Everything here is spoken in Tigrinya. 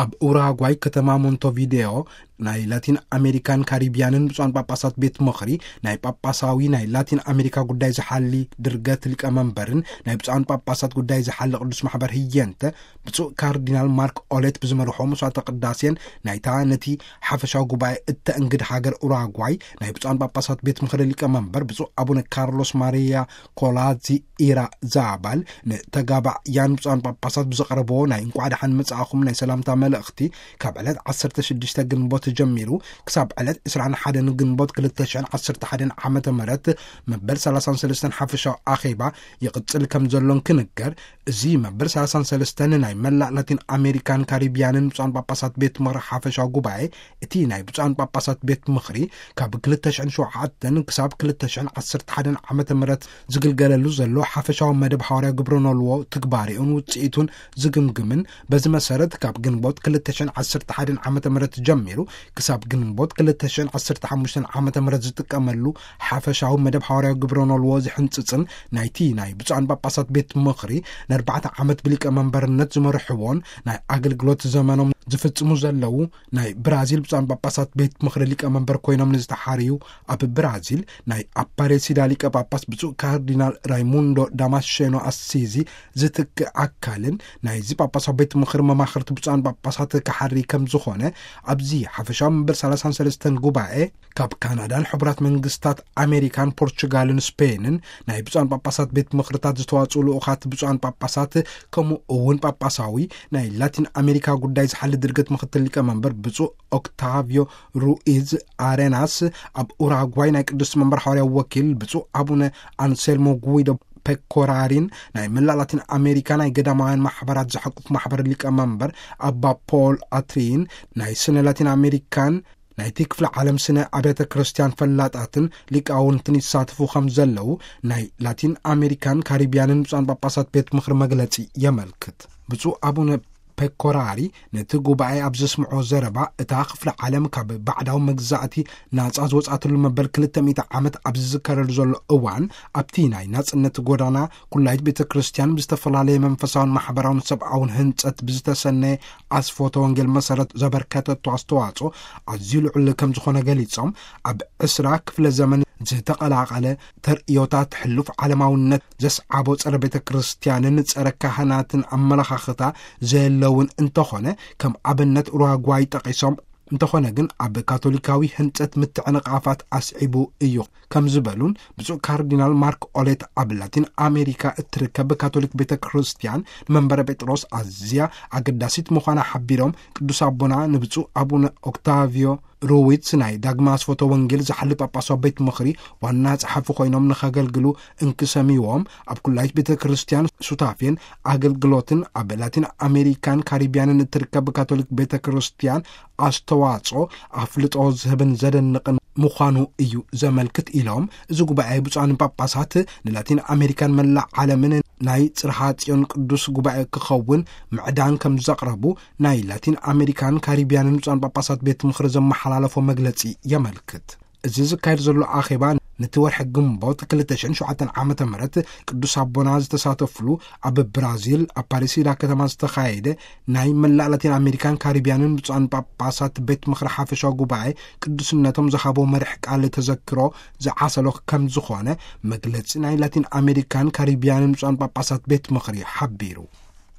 ኣብ ኡራጓይ ከተማ ሞንቶቪዴዮ ናይ ላቲን ኣሜሪካን ካሪቢያንን ብፁዓን ጳጳሳት ቤት ምኽሪ ናይ ጳጳሳዊ ናይ ላቲን ኣሜሪካ ጉዳይ ዝሓሊ ድርገት ሊቀመንበርን ናይ ብፁዓን ጳጳሳት ጉዳይ ዝሓሊ ቅዱስ ማሕበር ህየንተ ብፁዕ ካርዲናል ማርክ ኦሌት ብዝመርሖ መስዋዕተ ቅዳሴን ናይታ ነቲ ሓፈሻዊ ጉባኤ እተእንግድ ሃገር ኡራጓይ ናይ ብፁዓን ጳጳሳት ቤት ምኽሪ ሊቀመንበር ብፁዕ ኣቡነ ካርሎስ ማሪያ ኮላዚ ኢራ ዛባል ንተጋባእያን ብፁዓን ጳጳሳት ብዘቕረብዎ ናይ እንቋዕ ደሓን መጻእኹም ናይ ሰላምታ መልእኽቲ ካብ ዕለት ዓሰርተ ሽዱሽተ ግንቦት ጀሚሩ ክሳብ ዕለት ዕስራን ሓደን ግንቦት ክልተ ሽሕን ዓሰርተ ሓደን ዓመተ ምህረት መበል ሰላሳን ሰለስተን ሓፈሻዊ ኣኼባ ይቕጽል ከም ዘሎን ክንገር፣ እዚ መበል ሰላሳን ሰለስተን ናይ መላእ ላቲን ኣሜሪካን ካሪቢያንን ብፁዓን ጳጳሳት ቤት ምኽሪ ሓፈሻዊ ጉባኤ፣ እቲ ናይ ብፁዓን ጳጳሳት ቤት ምኽሪ ካብ ክልተ ሽሕን ሸውዓተን ክሳብ ክልተ ሽሕን ዓሰርተ ሓደን ዓመተ ምህረት ዝግልገለሉ ዘሎ ሓፈሻዊ መደብ ሓዋርያ ግብረ ኖልዎ ትግባሬኡን ውጽኢቱን ዝግምግምን፣ በዚ መሰረት ካብ ግንቦት ክልተ ሽሕን ዓሰርተ ሓደን ዓመተ ምህረት ጀሚሩ ክሳብ ግንቦት ክልተ ሽሕን ዓሰርተ ሓሙሽተን ዓመተ ምህረት ዝጥቀመሉ ሓፈሻዊ መደብ ሓዋርያ ግብረ ኖልዎ ዝሕንጽጽን ናይቲ ናይ ብፁዓን ጳጳሳት ቤት ምኽሪ ንኣርባዕተ ዓመት ብሊቀ መንበርነት ዝመርሕዎን ናይ ኣገልግሎት ዘመኖም ዝፍጽሙ ዘለዉ ናይ ብራዚል ብፁዓን ጳጳሳት ቤት ምኽሪ ሊቀ መንበር ኮይኖም ንዝተሓርዩ ኣብ ብራዚል ናይ ኣፓሬሲዳ ሊቀ ጳጳስ ብፁዕ ካርዲናል ራይሙንዶ ዳማሼኖ ኣሲዚ ዝትክእ ኣካልን ናይዚ ጳጳሳዊ ቤት ምኽሪ መማኽርቲ ብፁዓን ጳጳሳት ክሓሪ ከም ዝኾነ ኣብዚ ሓፈሻዊ መበል ሰላሳን ሰለስተን ጉባኤ ካብ ካናዳን ሕቡራት መንግስታት ኣሜሪካን ፖርቹጋልን ስፔንን ናይ ብፁዓን ጳጳሳት ቤት ምኽርታት ዝተዋጽኡ ልኡኻት ብፁዓን ጳጳሳት ከምኡ እውን ጳጳሳዊ ናይ ላቲን ኣሜሪካ ጉዳይ ዝሓሊ ድርገት ምኽትል ሊቀ መንበር ብፁዕ ኦክታቪዮ ሩኢዝ ኣሬናስ ኣብ ኡራጓይ ናይ ቅዱስ መንበር ሓዋርያዊ ወኪል ብፁዕ ኣቡነ ኣንሴልሞ ጉዊዶ ፔኮራሪን ናይ መላእ ላቲን ኣሜሪካ ናይ ገዳማውያን ማሕበራት ዝሓቁፍ ማሕበር ሊቀ መንበር ኣባ ፖል ኣትሪን ናይ ስነ ላቲን ኣሜሪካን ናይቲ ክፍለ ዓለም ስነ ኣብያተ ክርስቲያን ፈላጣትን ሊቃውንትን ይሳተፉ ከም ዘለዉ ናይ ላቲን ኣሜሪካን ካሪቢያንን ብፁዓን ጳጳሳት ቤት ምኽሪ መግለጺ የመልክት። ብፁዕ ኣቡነ ፔኮራሪ ነቲ ጉባኤ ኣብ ዘስምዖ ዘረባ፣ እታ ክፍለ ዓለም ካብ ባዕዳዊ መግዛእቲ ናጻ ዝወጻእትሉ መበል ክልተ ሚእቲ ዓመት ኣብ ዝዝከረሉ ዘሎ እዋን፣ ኣብቲ ናይ ናጽነት ጎዳና ኩላይት ቤተ ክርስቲያን ብዝተፈላለየ መንፈሳውን ማሕበራውን ሰብኣውን ህንጸት ብዝተሰነየ ኣስፎተ ወንጌል መሰረት ዘበርከተቶ ኣስተዋጽኦ ኣዝዩ ልዑል ከም ዝኾነ ገሊጾም፣ ኣብ ዕስራ ክፍለ ዘመን ዝተቐላቐለ ተርእዮታት ሕሉፍ ዓለማውነት ዘስዓቦ ጸረ ቤተ ክርስቲያንን ጸረ ካህናትን ኣመለኻኽታ ዘየለውን እንተኾነ፣ ከም ኣብነት ኡራጓይ ጠቒሶም፣ እንተኾነ ግን ኣብ ካቶሊካዊ ህንጸት ምትዕንቓፋት ኣስዒቡ እዩ ከም ዝበሉን ብፁዕ ካርዲናል ማርክ ኦሌት ኣብ ላቲን ኣሜሪካ እትርከብ ካቶሊክ ቤተ ክርስቲያን ንመንበረ ጴጥሮስ ኣዝያ ኣገዳሲት ምዃና ሓቢሮም፣ ቅዱስ ኣቦና ንብፁዕ ኣቡነ ኦክታቪዮ ሩዊትስ ናይ ዳግማ ኣስፎቶ ወንጌል ዝሓሊ ጳጳሳዊ ቤት ምኽሪ ዋና ጸሓፊ ኮይኖም ንኸገልግሉ እንክሰሚዎም፣ ኣብ ኩላይት ቤተ ክርስቲያን ሱታፌን ኣገልግሎትን ኣብ ላቲን ኣሜሪካን ካሪቢያንን እትርከብ ካቶሊክ ቤተ ክርስቲያን ኣስተዋጽኦ ኣፍልጦ ዝህብን ዘደንቕን ምዃኑ እዩ ዘመልክት ኢሎም፣ እዚ ጉባኤ ብፁዓን ጳጳሳት ንላቲን ኣሜሪካን መላእ ዓለምን ናይ ጽርሓ ጽዮን ቅዱስ ጉባኤ ክኸውን ምዕዳን ከም ዘቕረቡ ናይ ላቲን ኣሜሪካን ካሪቢያንን ብፁዓን ጳጳሳት ቤት ምኽሪ ዘመሓላለፎ መግለጺ የመልክት። እዚ ዝካየድ ዘሎ ኣኼባ ነቲ ወርሒ ግንቦት ክልተ ሽሕን ሸውዓተን ዓመተ ምህረት ቅዱስ ኣቦና ዝተሳተፍሉ ኣብ ብራዚል ኣፓሪሲዳ ከተማ ዝተኻየደ ናይ መላእ ላቲን ኣሜሪካን ካሪቢያንን ብፁዓን ጳጳሳት ቤት ምኽሪ ሓፈሻዊ ጉባኤ ቅዱስነቶም ዝሃቦ መርሕ ቃል ተዘክሮ ዝዓሰሎ ከም ዝኾነ መግለጺ ናይ ላቲን ኣሜሪካን ካሪቢያንን ብፁዓን ጳጳሳት ቤት ምኽሪ ሓቢሩ።